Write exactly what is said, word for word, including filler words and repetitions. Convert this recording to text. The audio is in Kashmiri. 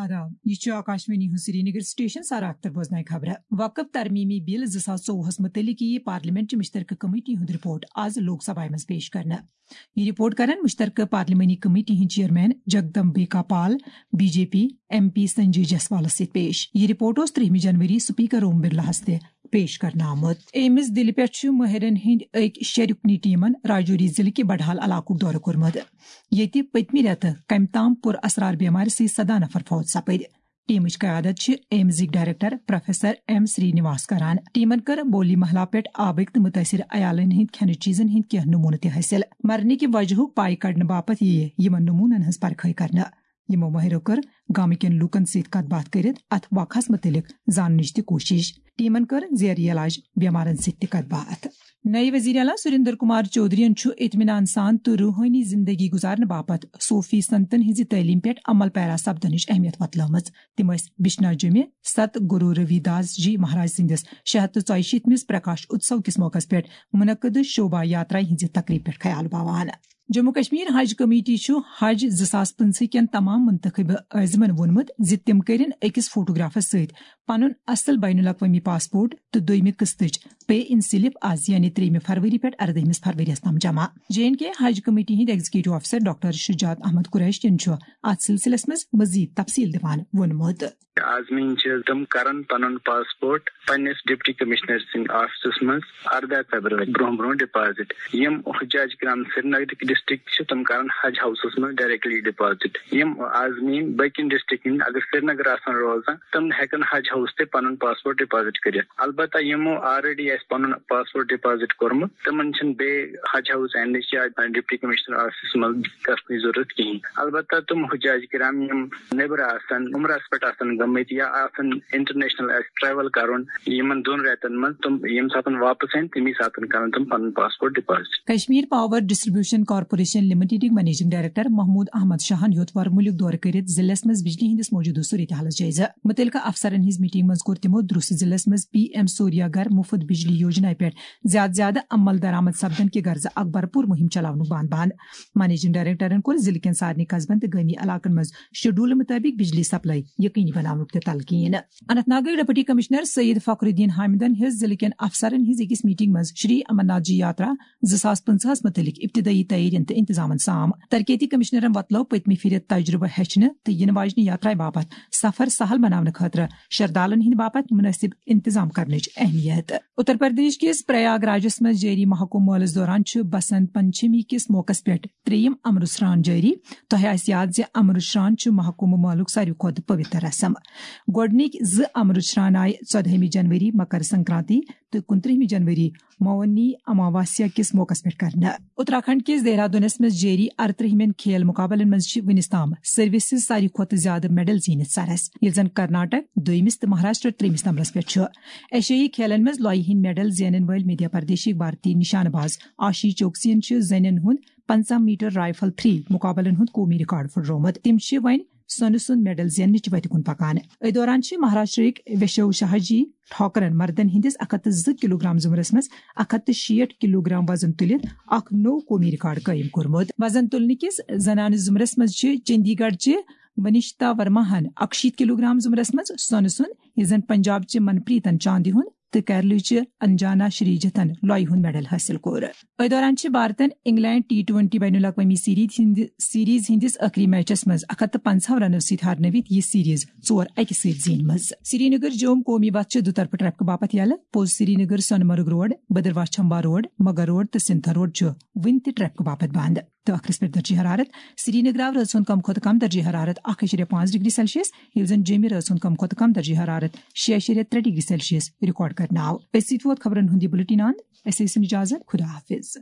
آداب، یہِ چھُ آکاشوانی ہُنٛد سرینگر سٹیشن۔ سارا اختر بوزناوِ خبرٕ۔ وقف ترمیمی بل زٕ ساس ژوٚوُہس متعلق یِیہِ پارلیمنٹ چہِ مشترکہٕ کمیٹی ہُنٛد رپورٹ آز لوک سبھایہ منٛز پیش کرنہٕ۔ یہِ رپورٹ کرن مشترکہٕ پارلیمانی کمیٹی ہٕنٛدۍ chairman Jagdambika Pal, B J P, M P Sanjay جسوالس سۭتۍ پیش۔ یہِ رپورٹ اوس ترٛہمہِ جنوری سپیکر اوم برلاہس تہِ پیش کرنہٕ آمُت۔ ایمز دِلہِ پٮ۪ٹھ چھُ مٲہرن ہٕنٛدۍ أکۍ شےٚ رُکنی ٹیمن راجوری ضلعہٕ کہِ بڈہال علاقُک دورٕ کوٚرمُت، ییٚتہِ پٔتمہِ رٮ۪تہٕ کمہِ تام پُر اثرار بیمارِ سۭتۍ سداہ نفر فوت سپٕدۍ۔ ٹیمٕچ قیادت چھِ ایمزٕکۍ ڈائریکٹر پروفیسر ایم سری نواس کران۔ ٹیمن کٔر بولی محلہ پٮ۪ٹھ آبٕکۍ تہٕ مُتٲثر عیالن ہٕنٛدۍ کھٮ۪نہٕ چیٖزن ہٕنٛدۍ کینٛہہ نمونہٕ تہِ حٲصِل۔ مرنٕکہِ وجہُک پاے کڑنہٕ باپتھ یِیہِ یِمن نمونن ہٕنٛز پرکھٲے کرنہٕ۔ یِمو مٲہرو کٔر گامہٕ کٮ۪ن لوٗکن سۭتۍ کتھ باتھ کٔرِتھ اتھ واقعس مُتعلق زاننٕچ تہِ کوٗشش۔ ٹیمن کٔر زیر علاج بیمارن سۭتۍ تہِ کتھ باتھ۔ نئے وزیر اعلیٰ سریندر کمار چودھرین چھُ اطمینان سان تہٕ روحٲنی زندگی گزارنہٕ باپتھ صوفی سنتن ہٕنٛزِ تعلیٖم پٮ۪ٹھ عمل پیرا سپدنٕچ اہمیت وۄتلٲومٕژ۔ تِم ٲسۍ بشنا جمہِ ست گرو روی داس جی مہاراج سٕنٛدِس شےٚ ہتھ تہٕ ژۄیہِ شیٖتمِس پرکاش اتسو کِس موقعس پٮ۪ٹھ منعقد شوبھا یاترا ہٕنٛزِ تقریبہِ پٮ۪ٹھ خیال باوان۔ جموں کشمیر حج کمیٹی چھُ حج زٕ ساس پٕنٛژٕہ کٮ۪ن تمام منتخب عازمن ووٚنمُت زِ تِم کٔرِن أکِس فوٹوگرافس سۭتۍ پنُن اصل بین الاقوامی پاسپورٹ تہٕ دوٚیمہِ قسطٕچ پے ان سلپ از، یعنی ترٛیٚیِمہِ فروری پٮ۪ٹھ اردٲہمِس فروریَس تام جمع۔ جے اینڈ کے حج کمیٹی ہٕنٛدۍ ایگزیکٹو افسر ڈاکٹر شجاعت احمد قریشین چھُ اتھ سلسلس منٛز مزید تفصیل دِوان ووٚنمُت۔ عازمین چھِ تِم کرن پنُن پاسپورٹ پننِس ڈپٹی کمشنر سٕنٛدِ آفسس منٛز ارداہ فیبرؤری برونٛہہ برونٛہہ ڈپازٹ۔ یِم حجاج کرام سرینگرٕکۍ ڈسٹرکٹ چھِ، تِم کرن حج ہاؤسس منٛز ڈائریکٹلی ڈپازٹ۔ یِم عازمین باقین ڈسٹرکٹ ہٕنٛدۍ اگر سرینگر آسن روزان، تِم ہیکن حج ہاؤس تہِ پنُن پاسپورٹ ڈپازٹ کٔرِتھ۔ البتہ یِمو آلریڈی آسہِ پنُن پاسپورٹ ڈپازٹ کوٚرمُت، تِمن چھِنہٕ بیٚیہِ حج ہاؤس اینڈٕچ یا ڈپٹی کمشنر آفسس منٛز گژھنٕچ ضرورت کِہیٖنۍ۔ البتہ تِم حجاج کرام یِم نیبرٕ آسن، عمرس پٮ۪ٹھ آسن گٔمٕتۍ یا آسن انٹرنیشنل آسہِ ٹریول کرُن، یِمن دۄن رٮ۪تن منٛز تِم ییٚمہِ ساتن واپس یِن، تمی ساتن کرن تِم پنُن passport deposit. Kashmir power distribution corporation لمیٹڈٕکۍ منیجنگ ڈائریکٹر محمود احمد شاہن ہیوٚت وۄرٕ مُلک دورٕ کٔرِتھ ضلعس منٛز بجلی ہٕنٛدِس موجودٕ صورتحالس جٲیزٕ۔ متعلقہٕ افسرن ہٕنٛز میٹنگ منٛز کوٚر تِمو درُس ضلعس منٛز پی ایم سوریا گھر مفت بجلی یوجنا پٮ۪ٹھ زیادٕ زیادٕ عمل درآمد سپدن کہِ غرضہٕ اکھ بھرپور مہم چلاونُک بان بان۔ منیجنگ ڈائریکٹرن کوٚر ضلعہٕ کٮ۪ن سارنٕے قصبن تہٕ گٲمی علاقن منٛز شیڈول مطٲبق بجلی سپلائی یقینی بناونُک تہِ تلقین۔ اننت ناگٕکۍ ڈپٹی کمشنر سید فخر الدین حامدن ہیٚژ ضلعہٕ کٮ۪ن افسرن ہٕنٛز أکِس میٹنگ منٛز شری امرناتھ جی یاترا زٕ ساس پٕنٛژٕہس مُتعلق ابتدٲیی تیٲرین تہٕ انتظامن سام۔ ترقیتی کمشنرن وۄتلٲو پٔتمہِ پھِرِ تجربہٕ ہیٚچھنہٕ تہٕ یِنہٕ واجنہِ یاترایہِ باپتھ سفر سہل بناونہٕ خٲطرٕ شردالن ہٕنٛدِ باپتھ مناسب انتظام کرنٕچ اہمیت۔ اتر پردیش کِس پریاگ راجس منٛز جٲری محکمہٕ مٲلس دوران چھُ بسنت پنچمی کِس موقعس پٮ۪ٹھ ترٛیٚیِم امرت سران جٲری۔ تۄہہِ آسہِ یاد زِ امرت سران چھُ محکمہٕ مٲلُک ساروی کھۄتہٕ پویتر رسم۔ گۄڈٕنِکۍ زٕ امرت سران آیہِ ژۄدہمہِ جنوری مکر سنکرانتی تہٕ کُنترٛہمہِ جنوری مونی اماواسیا کِس موقعس پٮ۪ٹھ کرنہٕ۔ اتراکھنڈ کِس دہرادونس منٛز جٲری ارترٛہمٮ۪ن کھیل مقابلن منٛز چھِ وُنِس تام سروسز ساروی کھۄتہٕ زیادٕ میڈل زیٖنِتھ سرس، ییٚلہِ زن کرناٹک دویمِس تہٕ مہاراشٹر ترٛیٚیمِس نمبرس پٮ۪ٹھ چھُ۔ ایشیائی کھیلن منٛز لۄیہِ ہٕنٛدۍ میڈل زینن وٲلۍ مدھیہ پردیشٕکۍ بھارتی نشانہٕ باز آشی چوکسین چھِ زنٮ۪ن ہُنٛد پنٛژاہ میٹر رائفل تھری مقابلن ہُنٛد قومی ریکارڈ پھُٹرومُت۔ تِم چھِ وۄنۍ سۄنہٕ سُنٛد میڈل زیننٕچ وتہِ کُن پکان۔ أتھۍ دوران چھِ مہاراشٹرٕکۍ ویشو شاہ جی ٹھاکرن مردن ہٕنٛدِس اکھ ہتھ تہٕ زٕ کلوگرام زمرس منٛز اکھ ہتھ تہٕ شیٹھ کلوگرام وزن تُلِتھ اکھ نوٚو قومی ریکارڈ قٲیِم کوٚرمُت۔ وزن تُلنہٕ کِس زنانہٕ زمرس منٛز چھِ چندی گڑھ چہِ ونشتا ورماہن اکشیٖتھ کلوگرام زمرس منٛز سۄنہٕ سُنٛد، یُس زن پنجاب چہِ منپریتن چاندِ ہُنٛد تہٕ کیرلہٕ چہِ انجانا شری جتھن لۄیہِ ہُنٛد میڈل حٲصِل کوٚر۔ أتھۍ دوران چھِ بھارتن انگلینڈ ٹی ٹوینٹی بین الاقوامی سیریز ہٕنٛدِ، سیریز ہٕنٛدِس ٲخری میچس منٛز اکھ ہتھ تہٕ پنٛژاہ رنو سۭتۍ ہارنٲوِتھ یہِ سیریز ژور اَکہِ سۭتۍ زیٖنمٕژ۔ سرینگر جوم قومی وتھ چھِ دُطرفہٕ ٹریفکہٕ باپتھ یلہٕ، پوٚز سرینگر سۄنہٕ مرگ road, Bhaderwah چھمبا road, Mughal road تہٕ سنتھر روڈ چھُ وُنہِ تہِ ٹریفکہٕ باپتھ بنٛد۔ تہٕ ٲخرس پٮ۪ٹھ درجہ حرارت۔ سرینگر آو رٲژ ہُنٛد کم کھۄتہٕ کم درجہ حرارت اکھ اعشاریہ پانٛژھ ڈگری سیلسیس، ییٚلہِ زن جوٚمہِ رٲژ ہُنٛد کم کھۄتہٕ کم درجہ حرارت شےٚ اعشاریہ ترٛےٚ ڈگری سیلسیس ریکارڈ کرنہٕ آو۔ أتھۍ سۭتۍ ووت خبرن ہُنٛد یہِ بُلٹن اند۔ أسۍ ٲسِن اجازت۔ خدا حافظ۔